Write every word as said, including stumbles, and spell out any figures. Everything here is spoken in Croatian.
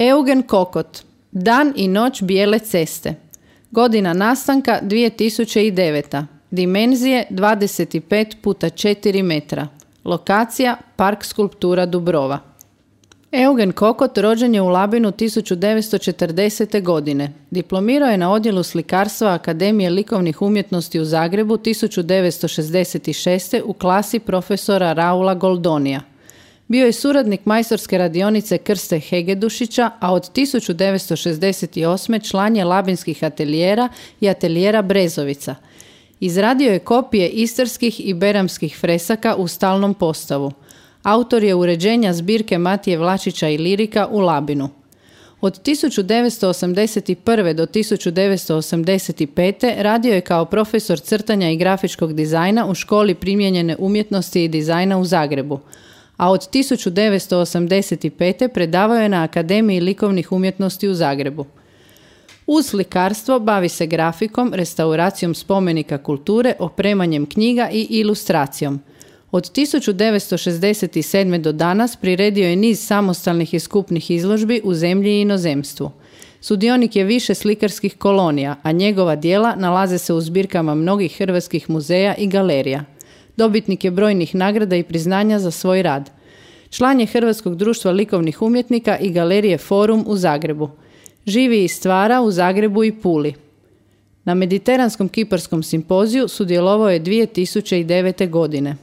Eugen Kokot, Dan i noć bijele ceste. Godina nastanka dvije tisuće deveta. Dimenzije dvadeset pet puta četiri metra. Lokacija Park skulptura Dubrova. Eugen Kokot rođen je u Labinu tisuću devetsto četrdesete. godine. Diplomirao je na odjelu slikarstva Akademije likovnih umjetnosti u Zagrebu tisuću devetsto šezdeset šeste. u klasi profesora Raula Goldonija. Bio je suradnik majstorske radionice Krste Hegedušića, a od tisuću devetsto šezdeset osme. član je labinskih ateljera i ateljera Brezovica. Izradio je kopije istarskih i beramskih fresaka u stalnom postavu. Autor je uređenja zbirke Matije Vlačića i lirika u Labinu. Od tisuću devetsto osamdeset prve. do tisuću devetsto osamdeset pete. radio je kao profesor crtanja i grafičkog dizajna u Školi primijenjene umjetnosti i dizajna u Zagrebu, a od tisuću devetsto osamdeset pete. predavao je na Akademiji likovnih umjetnosti u Zagrebu. Uz slikarstvo bavi se grafikom, restauracijom spomenika kulture, opremanjem knjiga i ilustracijom. Od tisuću devetsto šezdeset sedme. do danas priredio je niz samostalnih i skupnih izložbi u zemlji i inozemstvu. Sudionik je više slikarskih kolonija, a njegova djela nalaze se u zbirkama mnogih hrvatskih muzeja i galerija. Dobitnik je brojnih nagrada i priznanja za svoj rad. Član je Hrvatskog društva likovnih umjetnika i galerije Forum u Zagrebu. Živi i stvara u Zagrebu i Puli. Na Mediteranskom kiparskom simpoziju sudjelovao je dvije tisuće devete. godine.